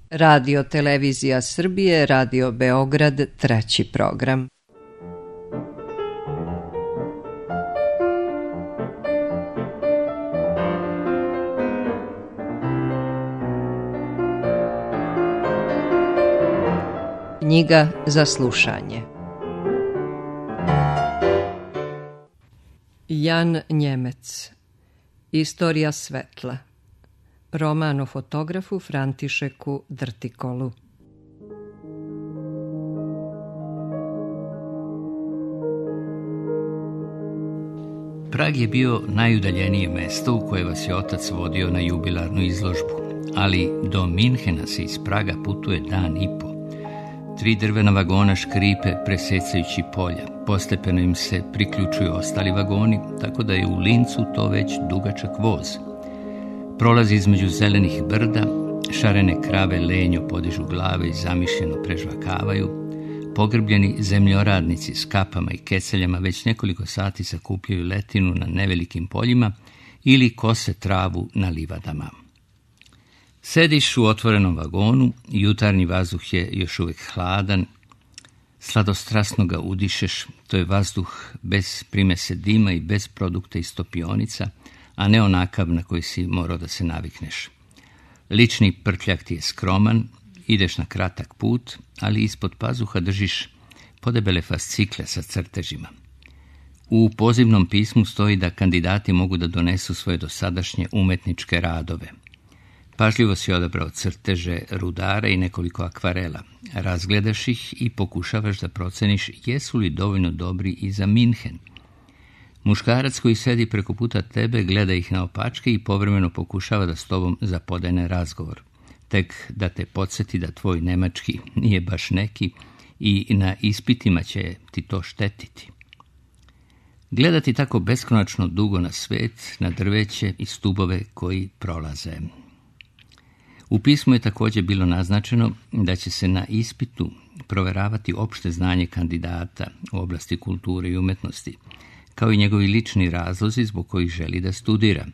Radio Televizija Srbije, Radio Beograd, 3. program. Knjiga za slušanje. Jan Njemec. Istorija svetla. Roman o fotografu Františeku Drtikolu. Prag je bio najudaljenije mesto u koje vas je otac vodio na jubilarnu izložbu, ali do Minhena se iz Praga putuje dan i po. 3 drvena vagona škripe presecajući polja. Postepeno im se priključuju ostali vagoni, tako da je u Lincu to već dugačak voz. Prolazi između zelenih brda, šarene krave lenjo podižu glave i zamišljeno prežvakavaju. Pogrbljeni zemljoradnici s kapama i keceljama već nekoliko sati sakupljaju letinu na nevelikim poljima ili kose travu na livadama. Sediš u otvorenom vagonu, jutarnji vazduh je još uvijek hladan, sladostrasno ga udišeš, to je vazduh bez primese dima i bez produkta iz topionica, a ne onakav na koji si morao da se navikneš. Lični prtljak ti je skroman, ideš na kratak put, ali ispod pazuha držiš podebele fascikle sa crtežima. U pozivnom pismu stoji da kandidati mogu da donesu svoje dosadašnje umetničke radove. Pažljivo si odabrao crteže rudara i nekoliko akvarela. Razgledaš ih i pokušavaš da proceniš jesu li dovoljno dobri i za Minhen. Muškarac koji sedi preko puta tebe gleda ih naopačke i povremeno pokušava da s tobom zapodene razgovor. Tek da te podsjeti da tvoj nemački nije baš neki i na ispitima će ti to štetiti. Gledati tako beskonačno dugo na svet, na drveće i stubove koji prolaze. U pismu je također bilo naznačeno da će se na ispitu proveravati opšte znanje kandidata u oblasti kulture i umetnosti, kao i njegovi lični razlozi zbog kojih želi da studira.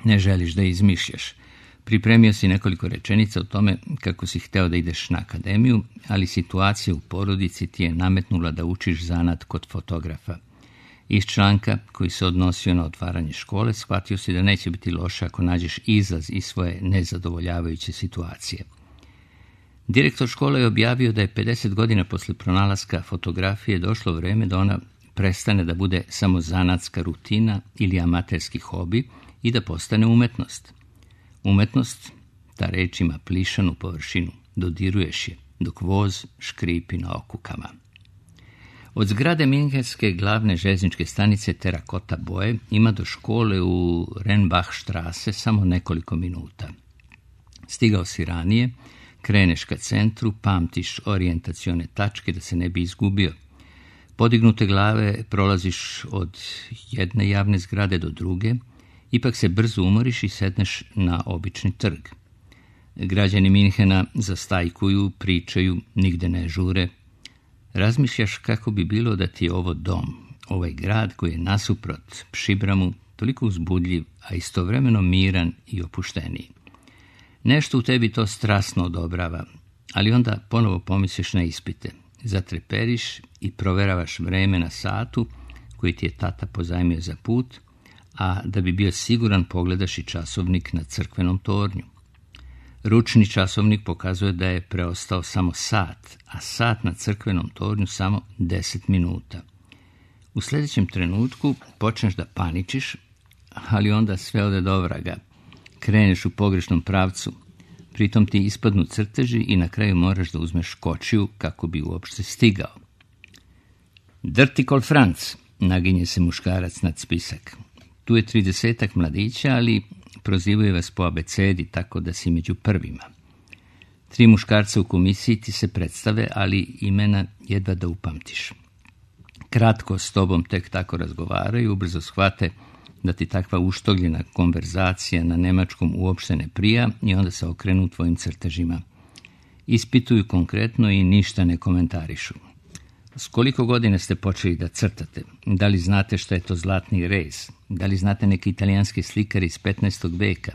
Ne želiš da izmišljaš. Pripremio si nekoliko rečenica o tome kako si hteo da ideš na akademiju, ali situacija u porodici ti je nametnula da učiš zanat kod fotografa. Iz članka koji se odnosio na otvaranje škole, shvatio si da neće biti loše ako nađeš izlaz iz svoje nezadovoljavajuće situacije. Direktor škole je objavio da je 50 godina posle pronalaska fotografije došlo vreme da ona prestane da bude samo zanatska rutina ili amaterski hobi i da postane umetnost. Umetnost, ta reč ima plišanu površinu, dodiruješ je, dok voz škripi na okukama. Od zgrade Minhenske glavne željezničke stanice terakota boje ima do škole u Renbachstrasse samo nekoliko minuta. Stigao si ranije, kreneš ka centru, pamtiš orijentacione tačke da se ne bi izgubio. Podignute glave prolaziš od jedne javne zgrade do druge, ipak se brzo umoriš i sedneš na obični trg. Građani Minhena zastajkuju, pričaju, nigde ne žure. Razmišljaš kako bi bilo da ti je ovo dom, ovaj grad koji je nasuprot Pšibramu toliko uzbudljiv, a istovremeno miran i opušteniji. Nešto u tebi to strasno odobrava, ali onda ponovo pomisliš na ispite. Zatreperiš i proveravaš vreme na satu koji ti je tata pozajmio za put, a da bi bio siguran pogledaš i časovnik na crkvenom tornju. Ručni časovnik pokazuje da je preostao samo sat, a sat na crkvenom tornju samo 10 minuta. U sljedećem trenutku počneš da paničiš, ali onda sve ode do vraga. Kreneš u pogrešnom pravcu, pritom ti ispadnu crteži i na kraju moraš da uzmeš kočiju kako bi uopšte stigao. Drtikol Franc, naginje se muškarac nad spisak. Tu je 30-ak mladića, ali prozivaju vas po abecedi, tako da si među prvima. 3 muškarca u komisiji ti se predstave, ali imena jedva da upamtiš. Kratko s tobom tek tako razgovaraju, ubrzo shvate da ti takva uštogljena konverzacija na nemačkom uopšte ne prija i onda se okrenu tvojim crtežima. Ispituju konkretno i ništa ne komentarišu. S koliko godina ste počeli da crtate? Da li znate šta je to zlatni rez? Da li znate neki italijanski slikar iz 15. veka?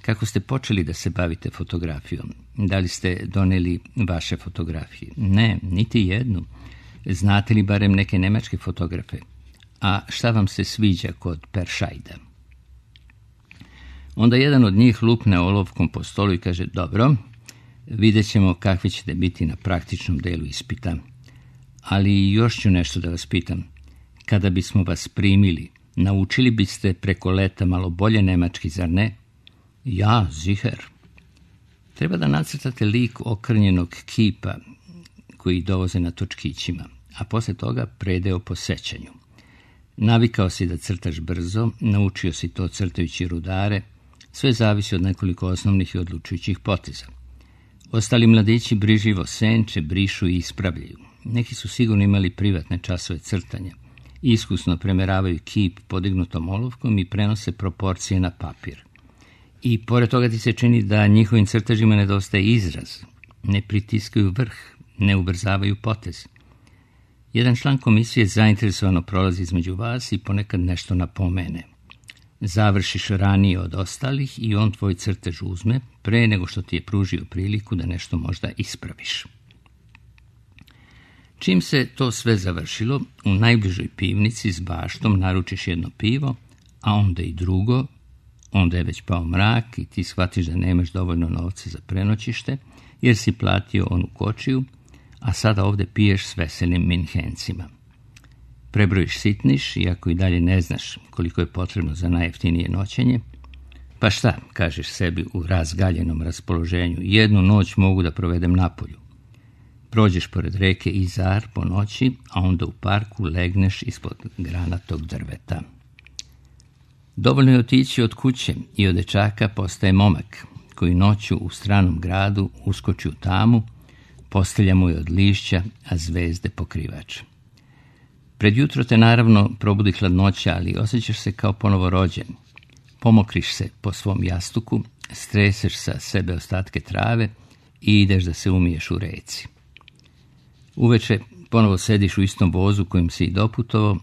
Kako ste počeli da se bavite fotografijom? Da li ste doneli vaše fotografije? Ne, niti jednu. Znate li barem neke nemačke fotografe? A šta vam se sviđa kod Peršajda? Onda jedan od njih lupne olovkom po stolu i kaže, dobro, vidjet ćemo kakvi ćete biti na praktičnom delu ispita. Ali još ću nešto da vas pitam. Kada bismo vas primili, naučili biste preko leta malo bolje nemački, zar ne? Ja, sicher. Treba da nacrtate lik okrnjenog kipa koji dovoze na točkićima, a posle toga predeo po sećanju. Navikao si da crtaš brzo, naučio si to crtajući rudare, sve zavisi od nekoliko osnovnih i odlučujućih poteza. Ostali mladići brižljivo senče, brišu i ispravljaju. Neki su sigurno imali privatne časove crtanja. Iskusno premeravaju kip podignutom olovkom i prenose proporcije na papir. I pored toga ti se čini da njihovim crtežima nedostaje izraz. Ne pritiskaju vrh, ne ubrzavaju potez. Jedan član komisije zainteresovano prolazi između vas i ponekad nešto napomene. Završiš ranije od ostalih i on tvoj crtež uzme pre nego što ti je pružio priliku da nešto možda ispraviš. Čim se to sve završilo, u najbližoj pivnici s baštom naručiš jedno pivo, a onda i drugo, onda je već pao mrak i ti shvatiš da nemaš dovoljno novca za prenoćište, jer si platio onu kočiju, a sada ovde piješ s veselim Minhencima. Prebrojiš sitniš, iako i dalje ne znaš koliko je potrebno za najjeftinije noćenje. Pa šta, kažeš sebi u razgaljenom raspoloženju, jednu noć mogu da provedem napolju. Prođeš pored reke Izar po noći, a onda u parku legneš ispod granatog drveta. Dovoljno je otići od kuće i od dečaka postaje momak, koji noću u stranom gradu uskoči u tamu, postelja mu je od lišća, a zvezde pokrivač. Pred jutro te naravno probudi hladnoća, ali osjećaš se kao ponovo rođen. Pomokriš se po svom jastuku, streseš sa sebe ostatke trave i ideš da se umiješ u reci. Uveče ponovo sediš u istom vozu kojim si i doputovao,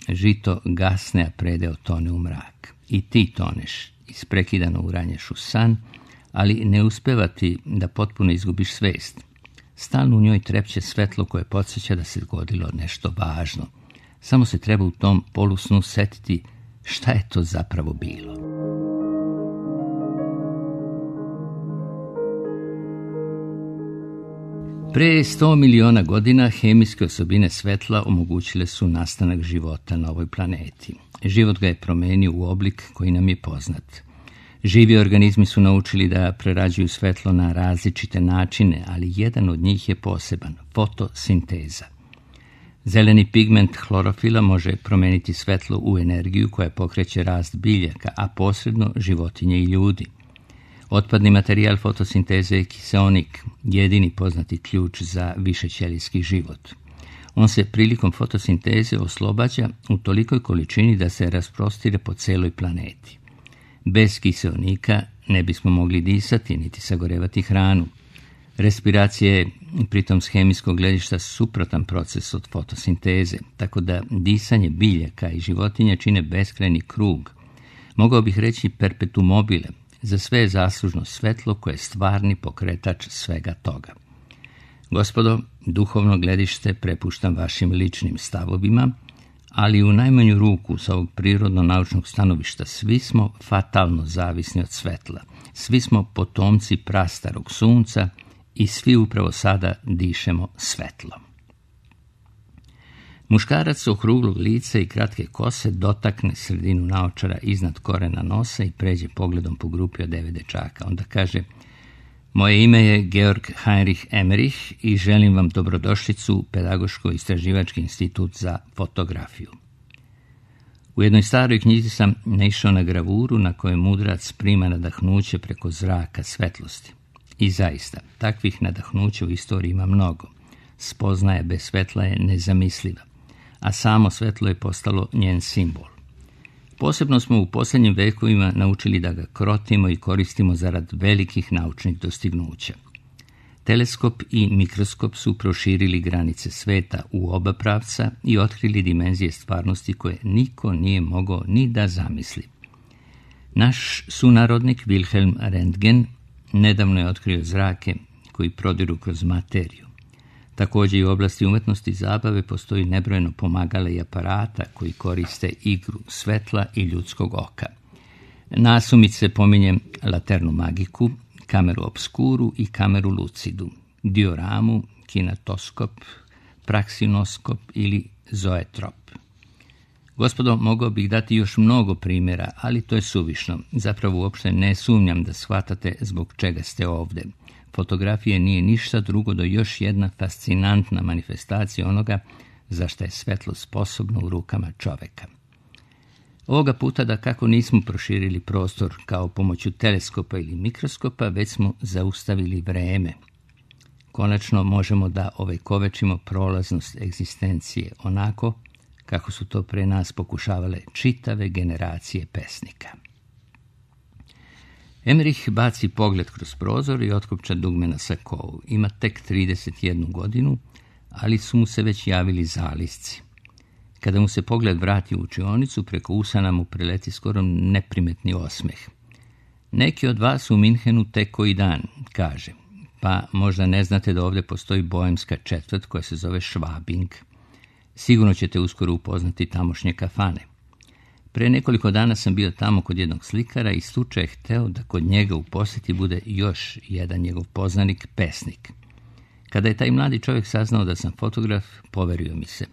žito gasne, a predeo tone u mrak. I ti toneš, isprekidano uranješ u san, ali ne uspeva ti da potpuno izgubiš svest. Stalno u njoj trepće svetlo koje podsjeća da se dogodilo nešto važno. Samo se treba u tom polusnu setiti šta je to zapravo bilo. Pre 100 miliona godina hemijske osobine svetla omogućile su nastanak života na ovoj planeti. Život ga je promenio u oblik koji nam je poznat. Živi organizmi su naučili da prerađuju svetlo na različite načine, ali jedan od njih je poseban, fotosinteza. Zeleni pigment hlorofila može promeniti svetlo u energiju koja pokreće rast biljaka, a posredno životinje i ljudi. Otpadni materijal fotosinteze je kiseonik, jedini poznati ključ za višećelijski život. On se prilikom fotosinteze oslobađa u tolikoj količini da se rasprostire po celoj planeti. Bez kiseonika ne bismo mogli disati niti sagorevati hranu. Respiracija je pritom s hemijskog gledišta suprotan proces od fotosinteze, tako da disanje biljaka i životinja čine beskrajni krug. Mogao bih reći perpetuum mobile, za sve je zaslužno svetlo koje je stvarni pokretač svega toga. Gospodo, duhovno gledište prepuštam vašim ličnim stavovima, ali u najmanju ruku sa ovog prirodno-naučnog stanovišta svi smo fatalno zavisni od svetla. Svi smo potomci prastarog sunca i svi upravo sada dišemo svetlo. Muškarac okruglog lica i kratke kose dotakne sredinu naočara iznad korena nosa i pređe pogledom po grupi od 9 dečaka. Onda kaže: moje ime je Georg Heinrich Emmerich i želim vam dobrodošlicu u Pedagoško-istraživački institut za fotografiju. U jednoj staroj knjizi sam naišao na gravuru na kojoj mudrac prima nadahnuće preko zraka svetlosti. I zaista, takvih nadahnuća u istoriji ima mnogo. Spoznaja bez svetla je nezamisliva, a samo svetlo je postalo njen simbol. Posebno smo u posljednjim vekovima naučili da ga krotimo i koristimo zarad velikih naučnih dostignuća. Teleskop i mikroskop su proširili granice sveta u oba pravca i otkrili dimenzije stvarnosti koje niko nije mogao ni da zamisli. Naš sunarodnik Wilhelm Röntgen nedavno je otkrio zrake koji prodiru kroz materiju. Također i u oblasti umetnosti i zabave postoji nebrojeno pomagala i aparata koji koriste igru svetla i ljudskog oka. Nasumice pominjem laternu magiku, kameru obskuru i kameru lucidu, dioramu, kinetoskop, praksinoskop ili zoetrop. Gospodo, mogao bih dati još mnogo primjera, ali to je suvišno. Zapravo uopšte ne sumnjam da shvatate zbog čega ste ovdje. Fotografija nije ništa drugo do još jedna fascinantna manifestacija onoga za što je svetlo sposobno u rukama čoveka. Ovoga puta da kako nismo proširili prostor kao pomoću teleskopa ili mikroskopa, već smo zaustavili vreme. Konačno možemo da ovekovečimo prolaznost egzistencije onako kako su to pre nas pokušavale čitave generacije pesnika. Emmerich baci pogled kroz prozor i otkopča dugme na sakovu. Ima tek 31 godinu, ali su mu se već javili zalisci. Kada mu se pogled vrati u učionicu, preko usana mu preleti skoro neprimetni osmeh. Neki od vas u Minhenu tek koji dan, kaže, pa možda ne znate da ovdje postoji boemska četvrt koja se zove Schwabing. Sigurno ćete uskoro upoznati tamošnje kafane. Pre nekoliko dana sam bio tamo kod jednog slikara i slučaj je hteo da kod njega u posjeti bude još jedan njegov poznanik, pesnik. Kada je taj mladi čovjek saznao da sam fotograf, poverio mi se.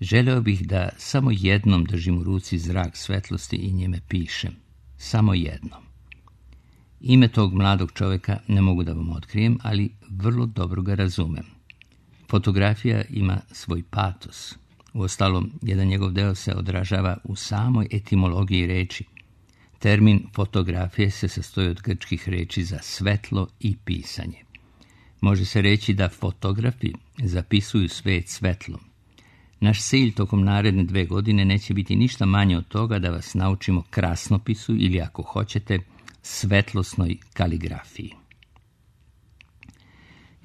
Želeo bih da samo jednom držim u ruci zrak svetlosti i njime pišem. Samo jednom. Ime tog mladog čovjeka ne mogu da vam otkrijem, ali vrlo dobro ga razumem. Fotografija ima svoj patos. Uostalom, jedan njegov deo se odražava u samoj etimologiji reči. Termin fotografije se sastoji od grčkih reči za svetlo i pisanje. Može se reći da fotografi zapisuju svet svetlom. Naš cilj tokom naredne 2 godine neće biti ništa manje od toga da vas naučimo krasnopisu ili, ako hoćete, svetlosnoj kaligrafiji.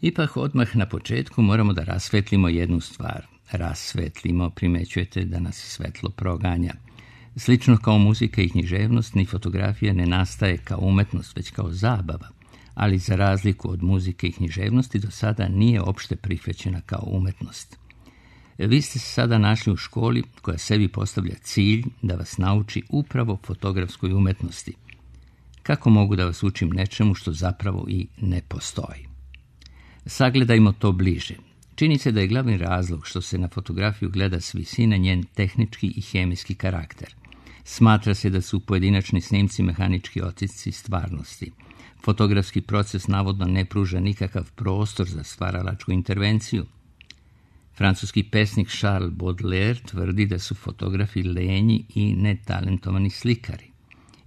Ipak odmah na početku moramo da rasvetlimo jednu stvar. Rasvetlimo, primećujete da nas svetlo proganja. Slično kao muzika i književnost, ni fotografija ne nastaje kao umetnost, već kao zabava, ali za razliku od muzike i književnosti do sada nije opšte prihvaćena kao umetnost. Vi ste se sada našli u školi koja sebi postavlja cilj da vas nauči upravo fotografskoj umetnosti. Kako mogu da vas učim nečemu što zapravo i ne postoji? Sagledajmo to bliže. Čini se da je glavni razlog što se na fotografiju gleda s visine njen tehnički i hemijski karakter. Smatra se da su pojedinačni snimci mehanički otisci stvarnosti. Fotografski proces navodno ne pruža nikakav prostor za stvaralačku intervenciju. Francuski pesnik Charles Baudelaire tvrdi da su fotografi lenji i netalentovani slikari,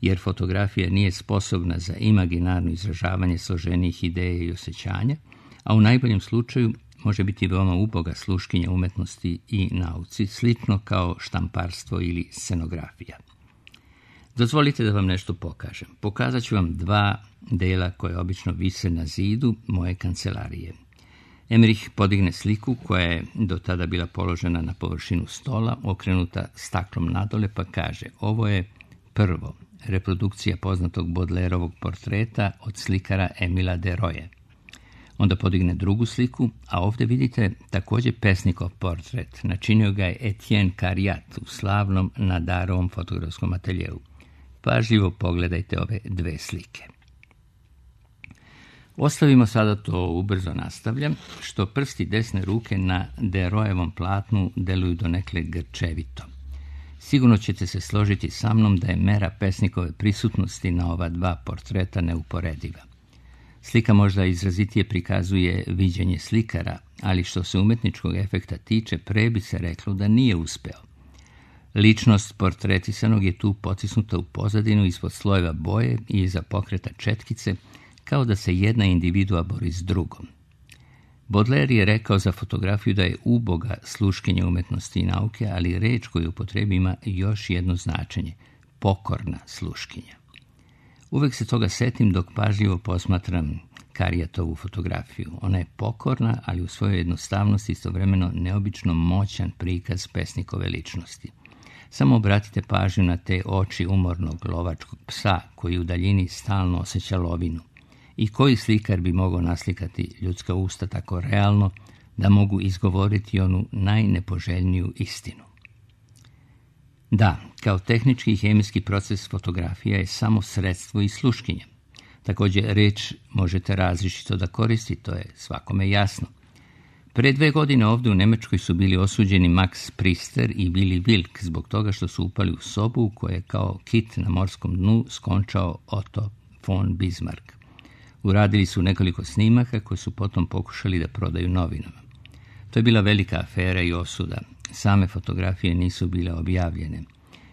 jer fotografija nije sposobna za imaginarno izražavanje složenijih ideja i osjećanja, a u najboljem slučaju može biti veoma uboga sluškinja umetnosti i nauci, slično kao štamparstvo ili scenografija. Dozvolite da vam nešto pokažem. Pokazat ću vam 2 dela koje obično vise na zidu moje kancelarije. Emmerich podigne sliku koja je do tada bila položena na površinu stola, okrenuta staklom nadole, pa kaže: ovo je prvo, reprodukcija poznatog Baudelaireovog portreta od slikara Emila Deroye. Onda podigne drugu sliku, a ovdje vidite također pesnikov portret. Načinio ga je Etienne Cariat u slavnom Nadarovom fotografskom ateljeu. Pažljivo pogledajte ove 2 slike. Ostavimo sada to, ubrzo nastavljam, što prsti desne ruke na Deroyevom platnu deluju donekle grčevito. Sigurno ćete se složiti sa mnom da je mera pesnikove prisutnosti na ova 2 portreta neuporediva. Slika možda izrazitije prikazuje viđenje slikara, ali što se umetničkog efekta tiče, pre bi se reklo da nije uspeo. Ličnost portretisanog je tu potisnuta u pozadinu ispod slojeva boje i iza pokreta četkice, kao da se jedna individua bori s drugom. Baudelaire je rekao za fotografiju da je uboga sluškinja umetnosti i nauke, ali reč koju upotrebi ima još jedno značenje – pokorna sluškinja. Uvek se toga setim dok pažljivo posmatram Cariatovu fotografiju. Ona je pokorna, ali u svojoj jednostavnosti istovremeno neobično moćan prikaz pesnikove ličnosti. Samo obratite pažnju na te oči umornog lovačkog psa koji u daljini stalno osjeća lovinu. I koji slikar bi mogao naslikati ljudska usta tako realno da mogu izgovoriti onu najnepoželjniju istinu? Da, kao tehnički i hemijski proces fotografija je samo sredstvo i sluškinje. Također reč možete različito da koristite, to je svakome jasno. Pre 2 godine ovdje u Njemačkoj su bili osuđeni Max Priester i Willy Wilk zbog toga što su upali u sobu u kojoj je kao kit na morskom dnu skončao Otto von Bismarck. Uradili su nekoliko snimaka koje su potom pokušali da prodaju novinama. To je bila velika afera i osuda. Same fotografije nisu bile objavljene.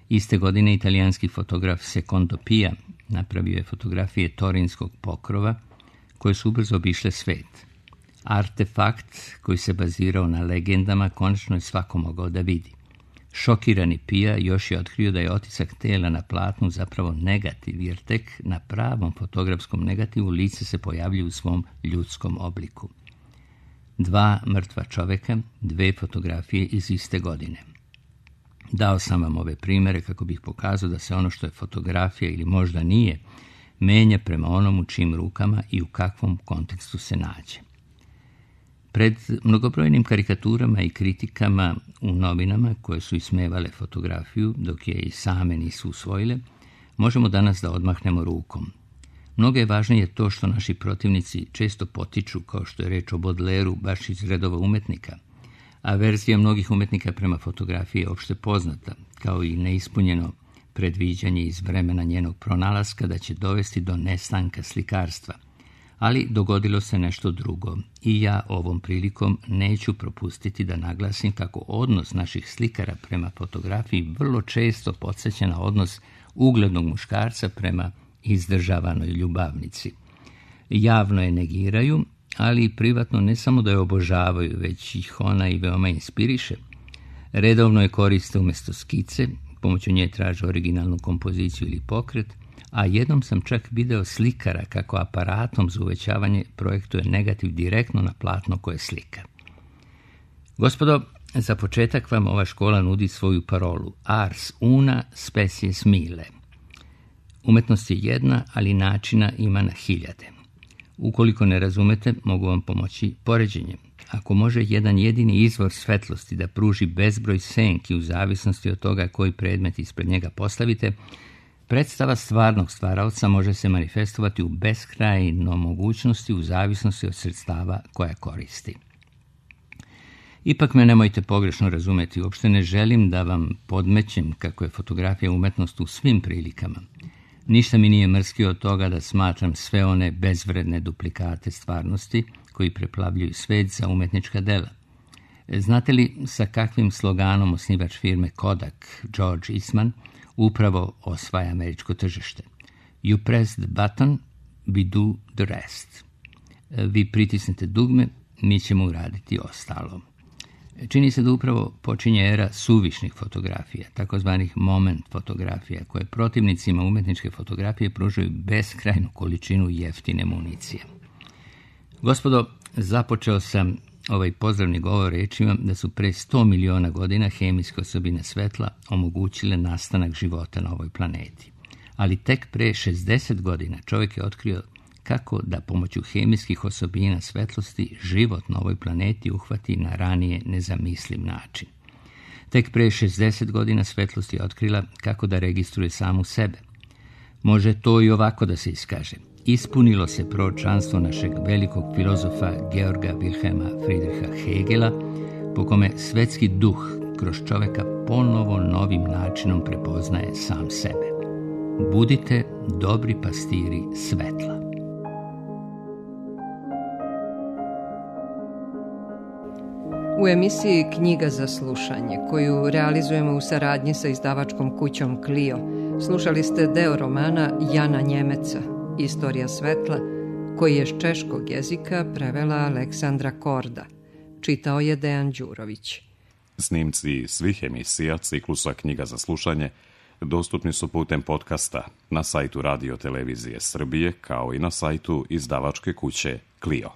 Iste godine italijanski fotograf Secondo Pia napravio je fotografije Torinskog pokrova koje su ubrzo obišle svet. Artefakt koji se bazirao na legendama konačno je svako mogao da vidi. Šokirani Pia još je otkrio da je otisak tela na platnu zapravo negativ, jer tek na pravom fotografskom negativu lice se pojavlju u svom ljudskom obliku. 2 mrtva čoveka, 2 fotografije iz iste godine. Dao sam vam ove primjere kako bih pokazao da se ono što je fotografija ili možda nije, menja prema onom u čijim rukama i u kakvom kontekstu se nađe. Pred mnogobrojnim karikaturama i kritikama u novinama koje su ismevale fotografiju, dok je i same nisu usvojile, možemo danas da odmahnemo rukom. Mnogo je važnije to što naši protivnici često potiču, kao što je reč o Baudelairu, baš iz redova umetnika, a verzija mnogih umetnika prema fotografiji je opšte poznata, kao i neispunjeno predviđanje iz vremena njenog pronalaska da će dovesti do nestanka slikarstva. Ali dogodilo se nešto drugo i ja ovom prilikom neću propustiti da naglasim kako odnos naših slikara prema fotografiji vrlo često podsjeća na odnos uglednog muškarca prema izdržavanoj ljubavnici. Javno je negiraju, ali i privatno ne samo da je obožavaju, već ih ona i veoma inspiriše. Redovno je koriste umjesto skice, pomoću nje traže originalnu kompoziciju ili pokret, a jednom sam čak video slikara kako aparatom za uvećavanje projektuje negativ direktno na platno koje slika. Gospodo, za početak vam ova škola nudi svoju parolu Ars una species mille. Umetnost je jedna, ali načina ima na hiljade. Ukoliko ne razumete, mogu vam pomoći poređenjem. Ako može jedan jedini izvor svetlosti da pruži bezbroj senki u zavisnosti od toga koji predmet ispred njega postavite, predstava stvarnog stvaraoca može se manifestovati u beskrajno mogućnosti u zavisnosti od sredstava koja koristi. Ipak me nemojte pogrešno razumeti, uopšte ne želim da vam podmećem kako je fotografija umetnost u svim prilikama. Ništa mi nije mrskio od toga da smatram sve one bezvredne duplikate stvarnosti koji preplavljuju svet za umetnička dela. Znate li sa kakvim sloganom osnivač firme Kodak, George Eastman, upravo osvaja američko tržište? You press the button, we do the rest. Vi pritisnete dugme, mi ćemo uraditi ostalo. Čini se da upravo počinje era suvišnih fotografija, takozvanih moment fotografija, koje protivnicima umetničke fotografije pružaju beskrajnu količinu jeftine municije. Gospodo, započeo sam ovaj pozdravni govor rečima da su pre 100 miliona godina hemijske osobine svetla omogućile nastanak života na ovoj planeti. Ali tek pre 60 godina čovjek je otkrio kako da pomoću hemijskih osobina svetlosti život na ovoj planeti uhvati na ranije nezamisliv način. Tek pre 60 godina svetlost je otkrila kako da registruje samu sebe. Može to i ovako da se iskaže. Ispunilo se proročanstvo našeg velikog filozofa Georga Wilhelma Friedricha Hegela, po kome svetski duh kroz čoveka ponovo novim načinom prepoznaje sam sebe. Budite dobri pastiri svetla. U emisiji Knjiga za slušanje, koju realizujemo u saradnji sa izdavačkom kućom Clio, slušali ste deo romana Jana Njemeca, Istorija svetla, koji je s češkog jezika prevela Aleksandra Korda. Čitao je Dejan Đurović. Snimci svih emisija ciklusa Knjiga za slušanje dostupni su putem podcasta na sajtu Radio Televizije Srbije, kao i na sajtu izdavačke kuće Clio.